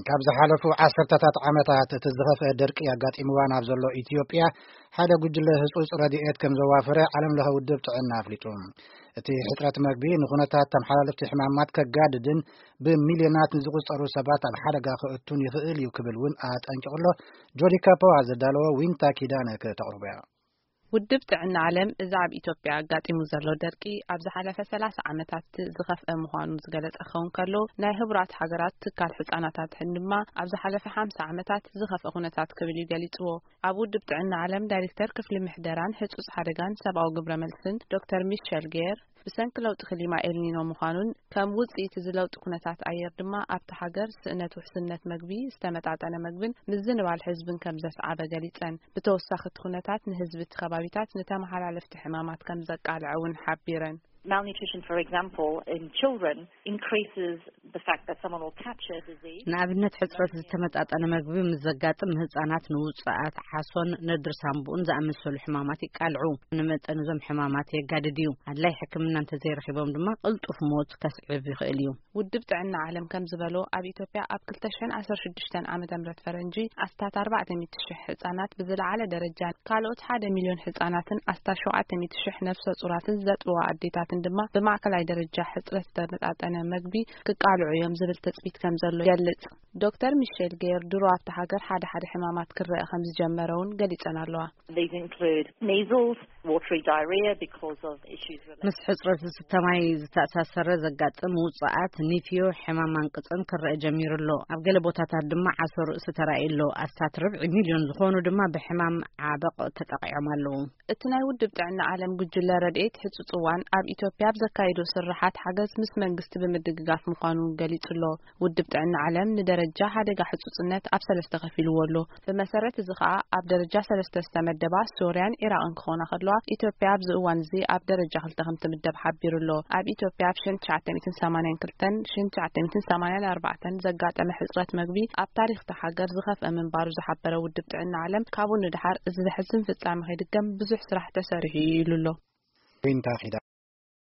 ካብ ዝሓለፉ ዓሰርተታት ዓመታት እቲ ዝኸፍአ ደርቂ ኣጋጢምዋ ናብ ዘሎ ኢትዮጵያ ሓደ ጉጅለ ህጹጽ ረድኤት ከም ዘዋፈረ ዓለም ለኸ ውድብ ጥዕና ኣፍሊጡ። እቲ ሕጽረት መግቢ ንኹነታት ተመሓላለፍቲ ሕማማት ከጋድድን ብሚልዮናት ንዝቑጸሩ ሰባት ኣብ ሓደጋ ክእቱን ይኽእል እዩ ክብል እውን ኣጠንቂቑ ኣሎ። ጆዲ ካፖዋ ዘዳለዎ ዊንታ ኪዳነ ከተቕርቦ እያ። ውድብ ጥዕና ዓለም እዚ ኣብ ኢትዮጵያ ኣጋጢሙ ዘሎ ደርቂ ኣብ ዝሓለፈ ሰላሳ ዓመታት ዝኸፍአ ምዃኑ ዝገለጸ ክኸውን ከሎ፣ ናይ ህቡራት ሃገራት ትካል ህጻናት ኣድሕን ድማ ኣብ ዝሓለፈ ሓምሳ ዓመታት ዝኸፍአ ኩነታት ክብል እዩ ገሊጽዎ። ኣብ ውድብ ጥዕና ዓለም ዳይሬክተር ክፍሊ ምሕደራን ህጹጽ ሓደጋን ሰብኣዊ ግብረ መልስን ዶክተር ሚሸል ጌር፣ ብሰንኪ ለውጢ ክሊማ ኤልኒኖ ምዃኑን ከም ውጽኢት እዚ ለውጢ ኩነታት ኣየር ድማ ኣብቲ ሃገር ስእነት ውሕስነት መግቢ፣ ዝተመጣጠነ መግብን ምዝንባል ህዝብን ከም ዘስዓበ ገሊጸን። ብተወሳኺ እቲ ኩነታት ንህዝቢ እቲ ከባቢታት ንተመሓላለፍቲ ሕማማት ከም ዘቃልዐ እውን ሓቢረን። Malnutrition, for example, in children increases the fact that someone will catch a disease. ንኣብነት፣ ሕጽረት ዝተመጣጠነ መግቢ ምስ ዘጋጥም፣ ህጻናት ንውጽኣት ዓሶን ነድሪ ሳንቡእን ዝኣመሰሉ ሕማማት ይቃልዑ። ንመጠን እዞም ሕማማት የጋድድ እዩ። ኣድላይ ሕክምና እንተዘይረኺቦም ድማ ቅልጡፍ ሞት ከስዕብ ይኽእል እዩ። ውድብ ጥዕና ዓለም ከም ዝበሎ፣ ኣብ ኢትዮጵያ ኣብ ክልተ ሽሕን ዓሰርተ ሽዱሽተን ዓመተ ምህረት ፈረንጂ ኣስታት ኣርባዕተ ሚእቲ ሽሕ ህጻናት ብዝለዓለ ደረጃ፣ ካልኦት ሓደ ሚልዮን ህጻናትን ኣስታት ሸውዓተ ሚእቲ ሽሕ ነፍሰ ጹራትን ዘጥብዋ ኣዴታትን ድማ ብማእከላይ ደረጃ ሕጽረት ዝተመጣጠነ መግቢ ክቃልዑ እዮም ዝብል ትጽቢት ከም ዘሎ ይገልጽ። ዶክተር ሚሼል ጌር ድሮ ኣብታ ሃገር ሓደ ሓደ ሕማማት ክረአ ከም ዝጀመረ እውን ገሊጸን ኣለዋ። These include measles, watery diarrhea because of issues related ምስ ሕጽረት ዝስተ ማይ ዝተኣሳሰረ ዘጋጥም ውጽኣት ኒፍዮ፣ ሕማም ማንቅጽን ክረአ ጀሚሩ ኣሎ። ኣብ ገለ ቦታታት ድማ ዓሶ ርእሲ ተራእዩ ኣሎ። ኣስታት ርብዒ ሚልዮን ዝኾኑ ድማ ብሕማም ዓበቕ ተጠቒዖም ኣለዉ። እቲ ናይ ውድብ ጥዕና ዓለም ጉጅለ ረድኤት ህጹጽ እዋን ኣብ ኢትዮጵያ ኣብ ዘካየዶ ስርሓት ሓገዝ ምስ መንግስቲ ብምድግጋፍ ምዃኑ ገሊጹ ኣሎ። ውድብ ጥዕና ዓለም ንደረጃ ሓደጋ ሕጹጽነት ኣብ ሰለስተ ከፊልዎ ኣሎ። ብመሰረት እዚ ኸኣ ኣብ ደረጃ ሰለስተ ዝተመደባ ሶርያን ኢራቕን ክኾና ከለዋ፣ ኢትዮጵያ ኣብዚ እዋን እዚ ኣብ ደረጃ ክልተ ከም ትምደብ ሓቢሩ ኣሎ። ኣብ ኢትዮጵያ ኣብ ሽሕን ትሽዓተ ሚእትን ሰማንያን ክልተን ሽሕን ትሽዓተ ሚእትን ሰማንያን ኣርባዕተን ዘጋጠመ ሕጽረት መግቢ ኣብ ታሪኽ እታ ሃገር ዝኸፍአ ምንባሩ ዝሓበረ ውድብ ጥዕና ዓለም፣ ካብኡ ንደሓር እዚ ዘሕዝን ፍጻሜ ከይድገም ብዙሕ ስራሕ ተሰሪሑ እዩ ኢሉ ኣሎ። ዊንታ ኪዳነ።